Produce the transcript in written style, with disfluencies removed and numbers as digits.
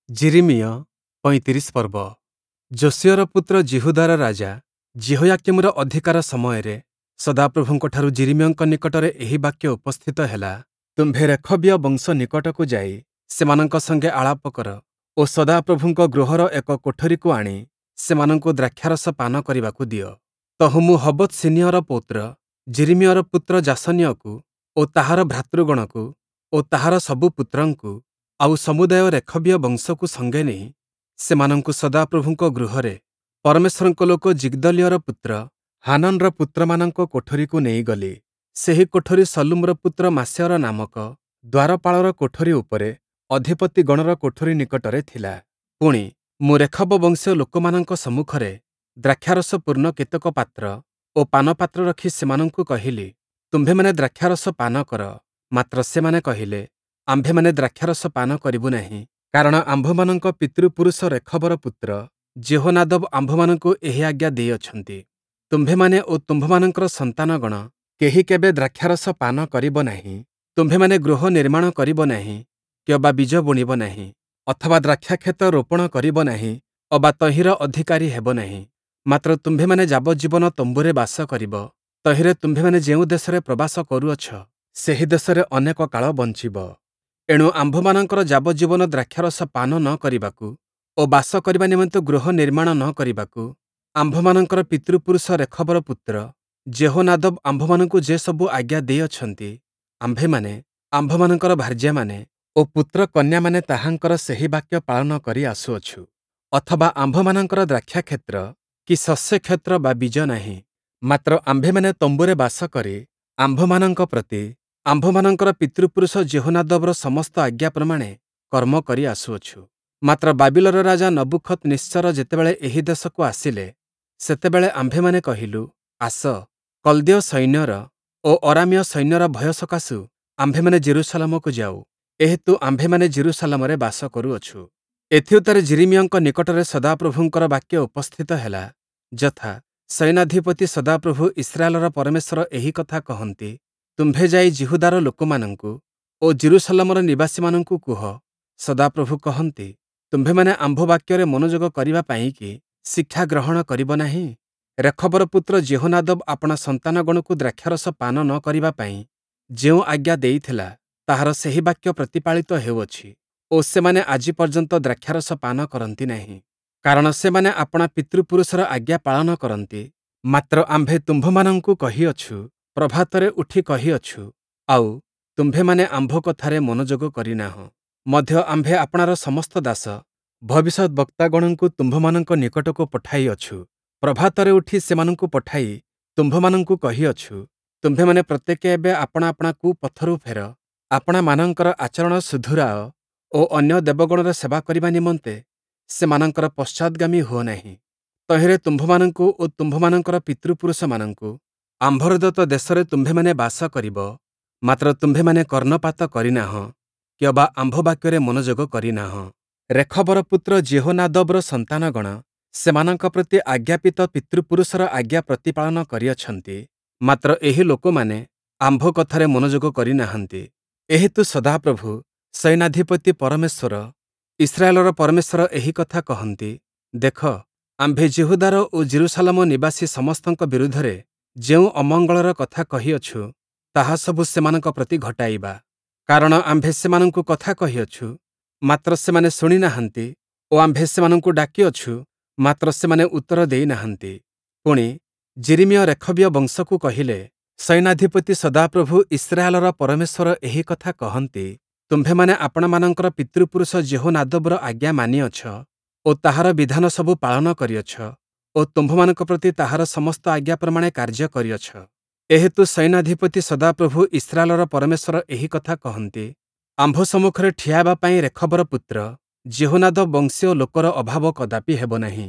ଯିରିମିୟ ପଇଁତିରିଶ ପର୍ବ। ଯୋଶୀୟର ପୁତ୍ର ଯିହୁଦାର ରାଜା ଯିହୋୟାକୀମର ଅଧିକାର ସମୟରେ ସଦାପ୍ରଭୁଙ୍କଠାରୁ ଯିରିମିୟଙ୍କ ନିକଟରେ ଏହି ବାକ୍ୟ ଉପସ୍ଥିତ ହେଲା, ତୁମ୍ଭେ ରେଖବୀୟ ବଂଶ ନିକଟକୁ ଯାଇ ସେମାନଙ୍କ ସଙ୍ଗେ ଆଳାପ କର ଓ ସଦାପ୍ରଭୁଙ୍କ ଗୃହର ଏକ କୋଠରିକୁ ଆଣି ସେମାନଙ୍କୁ ଦ୍ରାକ୍ଷାରସ ପାନ କରିବାକୁ ଦିଅ। ତହୁଁ ମୁଁ ହବତ୍ସିନୀୟର ପୌତ୍ର ଯିରିମିୟର ପୁତ୍ର ଯାସନୀୟକୁ ଓ ତାହାର ଭ୍ରାତୃଗଣକୁ ଓ ତାହାର ସବୁ ପୁତ୍ରଙ୍କୁ ଆଉ ସମୁଦାୟ ରେଖବୀୟ ବଂଶକୁ ସଙ୍ଗେ ନେଇ ସେମାନଙ୍କୁ ସଦାପ୍ରଭୁଙ୍କ ଗୃହରେ ପରମେଶ୍ୱରଙ୍କ ଲୋକ ଯିଗ୍ଦଲିୟର ପୁତ୍ର ହାନନ୍‌ର ପୁତ୍ରମାନଙ୍କ କୋଠରିକୁ ନେଇଗଲି। ସେହି କୋଠରି ଶଲ୍ଲୁମର ପୁତ୍ର ମାସେୟର ନାମକ ଦ୍ୱାରପାଳର କୋଠରି ଉପରେ ଅଧିପତିଗଣର କୋଠରି ନିକଟରେ ଥିଲା। ପୁଣି, ମୁଁ ରେଖବ ବଂଶୀୟ ଲୋକମାନଙ୍କ ସମ୍ମୁଖରେ ଦ୍ରାକ୍ଷାରସ ପୂର୍ଣ୍ଣ କେତେକ ପାତ୍ର ଓ ପାନପାତ୍ର ରଖି ସେମାନଙ୍କୁ କହିଲି, ତୁମ୍ଭେମାନେ ଦ୍ରାକ୍ଷାରସ ପାନ କର। ମାତ୍ର ସେମାନେ କହିଲେ, ଆମ୍ଭେମାନେ ଦ୍ରାକ୍ଷାରସ ପାନ କରିବୁ ନାହିଁ, କାରଣ ଆମ୍ଭମାନଙ୍କ ପିତୃପୁରୁଷ ରେଖବର ପୁତ୍ର ଯିହୋନାଦବ ଆମ୍ଭମାନଙ୍କୁ ଏହି ଆଜ୍ଞା ଦେଇଅଛନ୍ତି, ତୁମ୍ଭେମାନେ ଓ ତୁମ୍ଭମାନଙ୍କର ସନ୍ତାନଗଣ କେହି କେବେ ଦ୍ରାକ୍ଷାରସ ପାନ କରିବ ନାହିଁ। ତୁମ୍ଭେମାନେ ଗୃହ ନିର୍ମାଣ କରିବ ନାହିଁ କିଅବା ବୀଜ ବୁଣିବ ନାହିଁ, ଅଥବା ଦ୍ରାକ୍ଷାକ୍ଷେତ୍ର ରୋପଣ କରିବ ନାହିଁ ଅବା ତହିଁର ଅଧିକାରୀ ହେବ ନାହିଁ। ମାତ୍ର ତୁମ୍ଭେମାନେ ଯାବଜ୍ଜୀବନ ତମ୍ବୁରେ ବାସ କରିବ। ତହିଁରେ ତୁମ୍ଭେମାନେ ଯେଉଁ ଦେଶରେ ପ୍ରବାସ କରୁଅଛ, ସେହି ଦେଶରେ ଅନେକ କାଳ ବଞ୍ଚିବ। ଏଣୁ ଆମ୍ଭମାନଙ୍କର ଯାବଜ୍ଜୀବନ ଦ୍ରାକ୍ଷାରସ ପାନ ନ କରିବାକୁ ଓ ବାସ କରିବା ନିମନ୍ତେ ଗୃହ ନିର୍ମାଣ ନ କରିବାକୁ ଆମ୍ଭମାନଙ୍କର ପିତୃପୁରୁଷ ରେଖବର ପୁତ୍ର ଯିହୋନାଦବ ଆମ୍ଭମାନଙ୍କୁ ଯେ ସବୁ ଆଜ୍ଞା ଦେଇଅଛନ୍ତି, ଆମ୍ଭେମାନେ, ଆମ୍ଭମାନଙ୍କର ଭାର୍ଯ୍ୟାମାନେ ଓ ପୁତ୍ରକନ୍ୟାମାନେ ତାହାଙ୍କର ସେହି ବାକ୍ୟ ପାଳନ କରି ଆସୁଅଛୁ। ଅଥବା ଆମ୍ଭମାନଙ୍କର ଦ୍ରାକ୍ଷାକ୍ଷେତ୍ର କି ଶସ୍ୟକ୍ଷେତ୍ର ବା ବୀଜ ନାହିଁ, ମାତ୍ର ଆମ୍ଭେମାନେ ତମ୍ବୁରେ ବାସ କରି ଆମ୍ଭମାନଙ୍କ ପ୍ରତି ଆମ୍ଭମାନଙ୍କର ପିତୃପୁରୁଷ ଯିହୋନାଦବର ସମସ୍ତ ଆଜ୍ଞା ପ୍ରମାଣେ କର୍ମ କରି ଆସୁଅଛୁ। ମାତ୍ର ବାବିଲର ରାଜା ନବୂଖଦନିତ୍ସର ଯେତେବେଳେ ଏହି ଦେଶକୁ ଆସିଲେ, ସେତେବେଳେ ଆମ୍ଭେମାନେ କହିଲୁ, ଆସ, କଲ୍ଦୀୟ ସୈନ୍ୟର ଓ ଅରାମୀୟ ସୈନ୍ୟର ଭୟ ସକାଶୁ ଆମ୍ଭେମାନେ ଯିରୂଶାଲମକୁ ଯାଉ। ଏହେତୁ ଆମ୍ଭେମାନେ ଯିରୂଶାଲମରେ ବାସ କରୁଅଛୁ। ଏଥିଉତ୍ତାରେ ଯିରିମିୟଙ୍କ ନିକଟରେ ସଦାପ୍ରଭୁଙ୍କର ବାକ୍ୟ ଉପସ୍ଥିତ ହେଲା, ଯଥା, ସୈନ୍ୟାଧିପତି ସଦାପ୍ରଭୁ ଇସ୍ରାଏଲର ପରମେଶ୍ୱର ଏହି କଥା କହନ୍ତି, ତୁମ୍ଭେ ଯାଇ ଯିହୁଦାର ଲୋକମାନଙ୍କୁ ଓ ଯିରୂଶାଲମର ନିବାସୀମାନଙ୍କୁ କୁହ, ସଦାପ୍ରଭୁ କହନ୍ତି, ତୁମ୍ଭେମାନେ ଆମ୍ଭ ବାକ୍ୟରେ ମନୋଯୋଗ କରିବା ପାଇଁକି ଶିକ୍ଷା ଗ୍ରହଣ କରିବ ନାହିଁ? ରେଖବର ପୁତ୍ର ଯିହୋନାଦବ ଆପଣା ସନ୍ତାନଗଣକୁ ଦ୍ରାକ୍ଷାରସ ପାନ ନ କରିବା ପାଇଁ ଯେଉଁ ଆଜ୍ଞା ଦେଇଥିଲା, ତାହାର ସେହି ବାକ୍ୟ ପ୍ରତିପାଳିତ ହେଉଅଛି ଓ ସେମାନେ ଆଜି ପର୍ଯ୍ୟନ୍ତ ଦ୍ରାକ୍ଷାରସ ପାନ କରନ୍ତି ନାହିଁ। କାରଣ ସେମାନେ ଆପଣା ପିତୃପୁରୁଷର ଆଜ୍ଞା ପାଳନ କରନ୍ତି। ମାତ୍ର ଆମ୍ଭେ ତୁମ୍ଭମାନଙ୍କୁ କହିଅଛୁ, ପ୍ରଭାତରେ ଉଠି କହିଅଛୁ, ଆଉ, ତୁମ୍ଭେମାନେ ଆମ୍ଭ କଥାରେ ମନୋଯୋଗ କରିନାହଁ। ମଧ୍ୟ ଆମ୍ଭେ ଆପଣାର ସମସ୍ତ ଦାସ ଭବିଷ୍ୟଦ୍‌ବକ୍ତାଗଣଙ୍କୁ ତୁମ୍ଭମାନଙ୍କ ନିକଟକୁ ପଠାଇଅଛୁ। ପ୍ରଭାତରେ ଉଠି ସେମାନଙ୍କୁ ପଠାଇ ତୁମ୍ଭମାନଙ୍କୁ କହିଅଛୁ, ତୁମ୍ଭେମାନେ ପ୍ରତ୍ୟେକେ ଏବେ ଆପଣା ଆପଣା କୁପଥରୁ ଫେର, ଆପଣାମାନଙ୍କର ଆଚରଣ ସୁଧୁରାଅ ଓ ଅନ୍ୟ ଦେବଗଣର ସେବା କରିବା ନିମନ୍ତେ ସେମାନଙ୍କର ପଶ୍ଚାଦ୍‌ଗାମୀ ହୁଅ ନାହିଁ। ତହିଁରେ ତୁମ୍ଭମାନଙ୍କୁ ଓ ତୁମ୍ଭମାନଙ୍କର ପିତୃପୁରୁଷମାନଙ୍କୁ ଆମ୍ଭର ଦତ୍ତ ଦେଶରେ ତୁମ୍ଭେମାନେ ବାସ କରିବ। ମାତ୍ର ତୁମ୍ଭେମାନେ କର୍ଣ୍ଣପାତ କରିନାହଁ କିଅବା ଆମ୍ଭ ବାକ୍ୟରେ ମନୋଯୋଗ କରିନାହଁ। ରେଖବର ପୁତ୍ର ଯିହୋନାଦବର ସନ୍ତାନଗଣ ସେମାନଙ୍କ ପ୍ରତି ଆଜ୍ଞାପିତ ପିତୃପୁରୁଷର ଆଜ୍ଞା ପ୍ରତିପାଳନ କରିଅଛନ୍ତି, ମାତ୍ର ଏହି ଲୋକମାନେ ଆମ୍ଭ କଥାରେ ମନୋଯୋଗ କରିନାହାନ୍ତି। ଏହେତୁ ସଦାପ୍ରଭୁ, ସୈନ୍ୟାଧିପତି ପରମେଶ୍ୱର, ଇସ୍ରାଏଲର ପରମେଶ୍ୱର ଏହି କଥା କହନ୍ତି, ଦେଖ, ଆମ୍ଭେ ଯିହୁଦାର ଓ ଯିରୂଶାଲମ ନିବାସୀ ସମସ୍ତଙ୍କ ବିରୁଦ୍ଧରେ ଯେଉଁ ଅମଙ୍ଗଳର କଥା କହିଅଛୁ, ତାହା ସବୁ ସେମାନଙ୍କ ପ୍ରତି ଘଟାଇବା। କାରଣ ଆମ୍ଭେ ସେମାନଙ୍କୁ କଥା କହିଅଛୁ, ମାତ୍ର ସେମାନେ ଶୁଣି ନାହାନ୍ତି ଓ ଆମ୍ଭେ ସେମାନଙ୍କୁ ଡାକିଅଛୁ, ମାତ୍ର ସେମାନେ ଉତ୍ତର ଦେଇ ନାହାନ୍ତି। ପୁଣି, ଯିରିମିୟ ରେଖବୀୟ ବଂଶକୁ କହିଲେ, ସୈନ୍ୟାଧିପତି ସଦାପ୍ରଭୁ ଇସ୍ରାଏଲର ପରମେଶ୍ୱର ଏହି କଥା କହନ୍ତି, ତୁମ୍ଭେମାନେ ଆପଣାମାନଙ୍କର ପିତୃପୁରୁଷ ଯିହୋନାଦବର ଆଜ୍ଞା ମାନିଅଛ ଓ ତାହାର ବିଧାନ ସବୁ ପାଳନ କରିଅଛ ଓ ତୁମ୍ଭମାନଙ୍କ ପ୍ରତି ତାହାର ସମସ୍ତ ଆଜ୍ଞା ପ୍ରମାଣେ କାର୍ଯ୍ୟ କରିଅଛ। ଏହେତୁ ସୈନ୍ୟାଧିପତି ସଦାପ୍ରଭୁ ଇସ୍ରାଏଲର ପରମେଶ୍ୱର ଏହି କଥା କହନ୍ତି, ଆମ୍ଭ ସମ୍ମୁଖରେ ଠିଆ ହେବା ପାଇଁ ରେଖବର ପୁତ୍ର ଯିହୋନାଦବ ବଂଶୀୟ ଲୋକର ଅଭାବ କଦାପି ହେବ ନାହିଁ।